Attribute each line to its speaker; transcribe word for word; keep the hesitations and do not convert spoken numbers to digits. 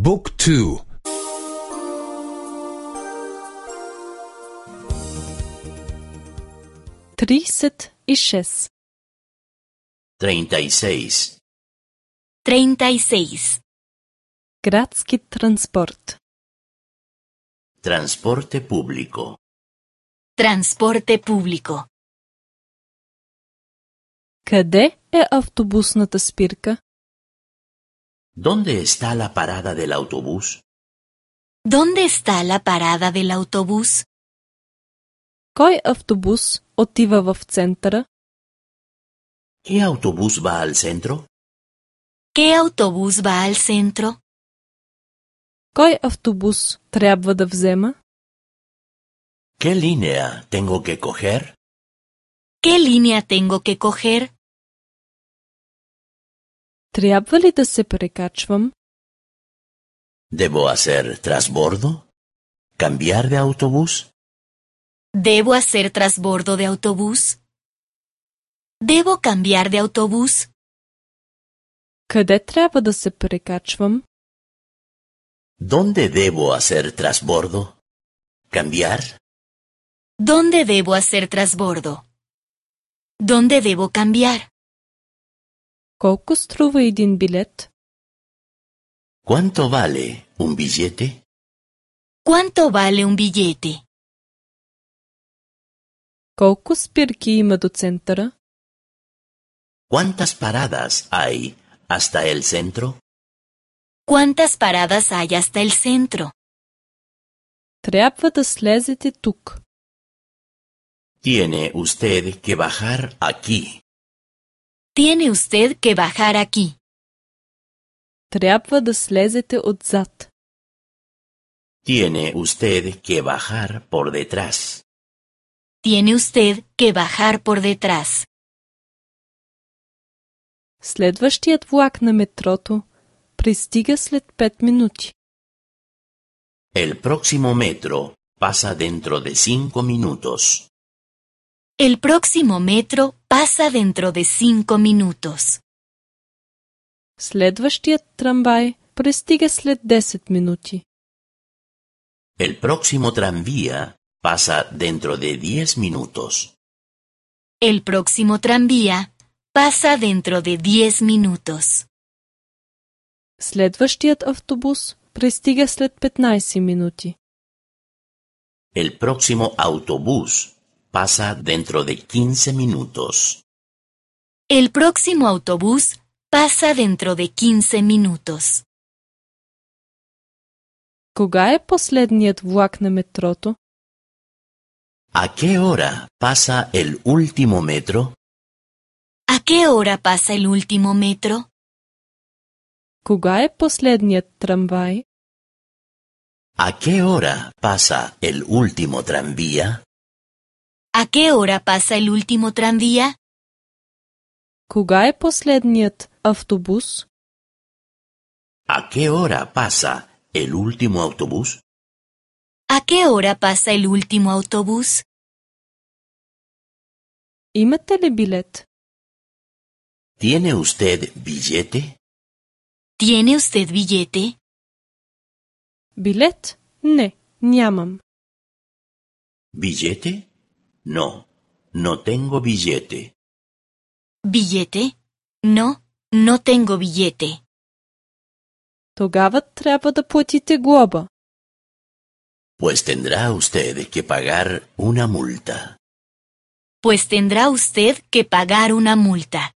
Speaker 1: บุ๊กทู
Speaker 2: тридцать и шесть.
Speaker 3: Treinta y seis.
Speaker 4: Treinta y seis.
Speaker 2: Градски транспорт.
Speaker 3: Transporte público.
Speaker 4: Transporte público.
Speaker 2: Къде е автобусната спирка?
Speaker 3: ¿Dónde está la parada del autobús?
Speaker 4: ¿Dónde está la parada del autobús?
Speaker 2: Кой автобус отива в центъра?
Speaker 3: ¿Qué autobús va al centro?
Speaker 4: ¿Qué autobús va al centro?
Speaker 2: Кой автобус трябва да взема?
Speaker 3: ¿Qué línea tengo que coger?
Speaker 4: ¿Qué línea tengo que coger?
Speaker 2: Трябва ли да се прекачвам?
Speaker 3: ¿Debo hacer trasbordo? ¿Cambiar de autobús?
Speaker 4: ¿Debo hacer trasbordo de autobús? ¿Debo cambiar de autobús?
Speaker 2: Къде трябва да се прекачвам?
Speaker 3: ¿Dónde debo hacer trasbordo? ¿Cambiar?
Speaker 4: ¿Dónde debo hacer trasbordo? ¿Dónde debo cambiar?
Speaker 2: Колко струва един билет?
Speaker 3: ¿Cuánto vale un billete?
Speaker 4: ¿Cuánto vale un billete?
Speaker 2: Колко спирки има до центъра?
Speaker 3: ¿Cuántas paradas hay hasta el centro?
Speaker 4: ¿Cuántas paradas hay hasta el centro?
Speaker 2: Трябва да слезете тук.
Speaker 3: Tiene usted que bajar aquí.
Speaker 4: Tiene usted que bajar aquí.
Speaker 2: Трябва да слезете отзад.
Speaker 3: Tiene usted que bajar por detrás.
Speaker 4: Tiene usted que bajar por detrás.
Speaker 2: Следващият влак на метрото пристига след пет минути.
Speaker 3: El próximo metro pasa dentro de cinco minutos.
Speaker 4: El próximo metro pasa dentro de cinco minutos.
Speaker 2: Следващият трамвай пристига след десет минути.
Speaker 3: El próximo tranvía pasa dentro de diez minutos.
Speaker 4: El próximo tranvía pasa dentro de diez minutos.
Speaker 2: Следващият автобус пристига след петнайсет минути.
Speaker 3: El próximo autobús pasa dentro de quince minutos.
Speaker 4: El próximo autobús pasa dentro de quince minutos.
Speaker 2: Кога е последният влак на метрото?
Speaker 3: ¿A qué hora pasa el último metro?
Speaker 4: ¿A qué hora pasa el último metro?
Speaker 2: Кога е последният трамвай?
Speaker 3: ¿A qué hora pasa el último tranvía?
Speaker 4: ¿A qué hora pasa el último tranvía?
Speaker 2: Кога е последният автобус?
Speaker 3: ¿A qué hora pasa el último autobús?
Speaker 4: ¿A qué hora pasa el último autobús?
Speaker 2: Имате ли билет?
Speaker 3: ¿Tiene usted billete?
Speaker 4: ¿Tiene usted billete?
Speaker 2: Билет? Не, нямам.
Speaker 3: ¿Billete? No, no tengo billete.
Speaker 4: ¿Billete? No, no tengo billete.
Speaker 2: Тогава трябва да платите глоба.
Speaker 3: Pues tendrá usted que pagar una multa.
Speaker 4: Pues tendrá usted que pagar una multa.